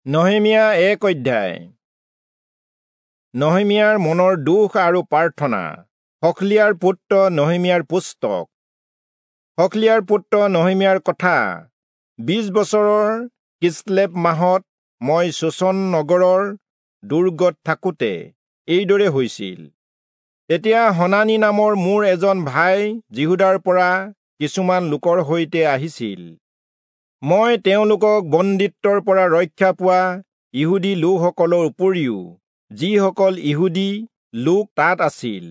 নহেমিয়া 1 অধ্যায়। নহেমিয়াৰ মনৰ দুখ আৰু প্ৰাৰ্থনা। হখলিয়াৰ পুত্ৰ নহেমিয়াৰ পুস্তক। হখলিয়াৰ পুত্ৰ নহেমিয়াৰ কথা। 20 বছৰৰ কিচলেব মাহত মই চূচন নগৰৰ দুৰ্গত থাকোঁতে এইদৰে হৈছিল। তেতিয়া হনানি নামৰ মোৰ এজন ভাই যিহূদাৰ পৰা কিছুমান লোকৰ সৈতে আহিছিল। মই তেওঁলোকক বন্দীত্বৰ পৰা ৰক্ষা পোৱা ইহুদী লোকসকলৰ উপৰিও যিসকল ইহুদী লোক তাত আছিল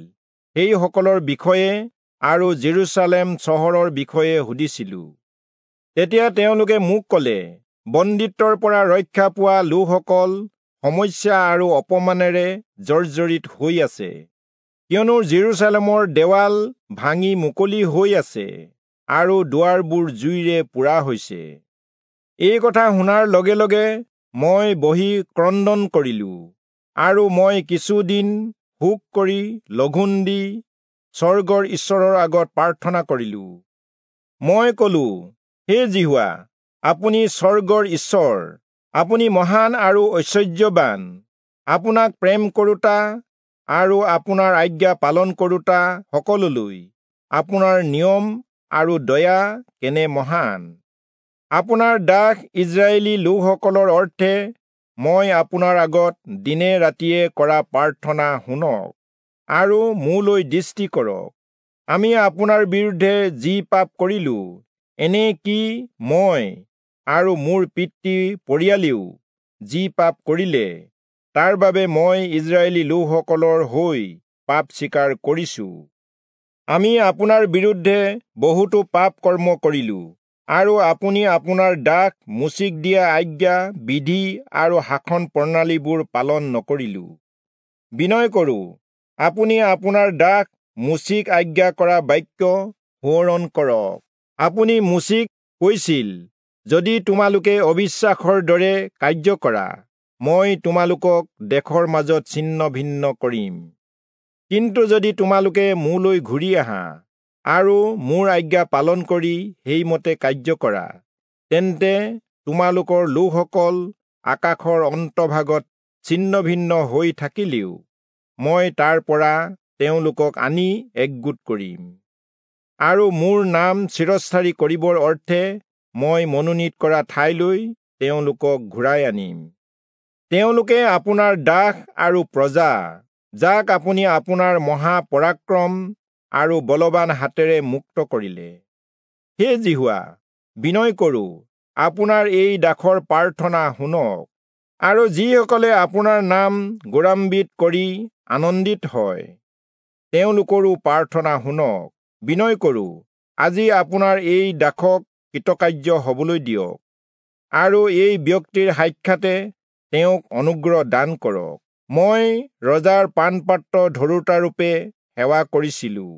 সেইসকলৰ বিষয়ে আৰু জেৰুচালেম চহৰৰ বিষয়ে সুধিছিলোঁ। তেতিয়া তেওঁলোকে মোক ক'লে, বন্দীত্বৰ পৰা ৰক্ষা পোৱা লোকসকল সমস্যা আৰু অপমানেৰে জৰ্জৰিত হৈ আছে, কিয়নো জেৰুচালেমৰ দেৱাল ভাঙি মুকলি হৈ আছে আৰু দুৱাৰবোৰ জুইৰে পোৰা হৈছে। এই কথা শুনাৰ লগে লগে মই বহি ক্ৰন্দন কৰিলোঁ আৰু মই কিছুদিন শোক কৰি লঘোণ দি স্বৰ্গৰ ঈশ্বৰৰ আগত প্ৰাৰ্থনা কৰিলোঁ। মই ক'লো, হে যিহোৱা, আপুনি স্বৰ্গৰ ঈশ্বৰ, আপুনি মহান আৰু ঐশ্বৰ্যবান। আপোনাক প্ৰেম কৰোঁতা আৰু আপোনাৰ আজ্ঞা পালন কৰোঁতা সকলোলৈ আপোনাৰ নিয়ম আৰু দয়া কেনে মহান। আপোনাৰ দাস ইস্ৰায়েলী লোকসকলৰ অৰ্থে মই আপোনাৰ আগত দিনে ৰাতিয়ে কৰা প্ৰাৰ্থনা শুনক আৰু মোলৈ দৃষ্টি কৰক। আমি আপোনাৰ বিৰুদ্ধে যি পাপ কৰিলোঁ, এনে কি মই আৰু মোৰ পিতৃ পৰিয়ালেও যি পাপ কৰিলে, তাৰ বাবে মই ইস্ৰায়েলী লোকসকলৰ হৈ পাপ স্বীকাৰ কৰিছোঁ। আমি আপোনাৰ বিৰুদ্ধে বহুতো পাপ কৰ্ম কৰিলোঁ আৰু আপুনি আপোনাৰ দাস মোচিক দিয়া আজ্ঞা, বিধি আৰু শাসন প্ৰণালীবোৰ পালন নকৰিলোঁ। বিনয় কৰোঁ, আপুনি আপোনাৰ দাস মোচিক আজ্ঞা কৰা বাক্য সোঁৱৰণ কৰক। আপুনি মোচিক কৈছিল, যদি তোমালোকে অবিশ্বাসৰ দৰে কাৰ্য কৰা, মই তোমালোকক দেশৰ মাজত ছিন্ন ভিন্ন কৰিম। কিন্তু যদি তোমালোকে মোলৈ ঘূৰি আহা আৰু মোৰ আজ্ঞা পালন কৰি সেইমতে কাৰ্য কৰা, তেন্তে তোমালোকৰ লোকসকল আকাশৰ অন্তভাগত ছিন্ন ভিন্ন হৈ থাকিলেও মই তাৰ পৰা তেওঁলোকক আনি একগোট কৰিম আৰু মোৰ নাম চিৰস্থায়ী কৰিবৰ অৰ্থে মই মনোনীত কৰা ঠাইলৈ তেওঁলোকক ঘূৰাই আনিম। তেওঁলোকে আপোনাৰ দাস আৰু প্ৰজা, যাক আপুনি আপোনাৰ মহাপৰাক্ৰম আৰু বলৱান হাতেৰে মুক্ত কৰিলে। হে যিহোৱা, বিনয় কৰোঁ, আপোনাৰ এই দাসৰ প্ৰাৰ্থনা শুনক আৰু যিসকলে আপোনাৰ নাম গৌৰৱান্বিত কৰি আনন্দিত হয় তেওঁলোকৰো প্ৰাৰ্থনা শুনক। বিনয় কৰোঁ, আজি আপোনাৰ এই দাসক কৃতকাৰ্য হবলৈ দিয়ক আৰু এই ব্যক্তিৰ সাক্ষাতে তেওঁক অনুগ্ৰহ দান কৰক। মই ৰজাৰ পানপাত্ৰ ধৰোঁতাৰূপে সেৱা কৰিছিলোঁ।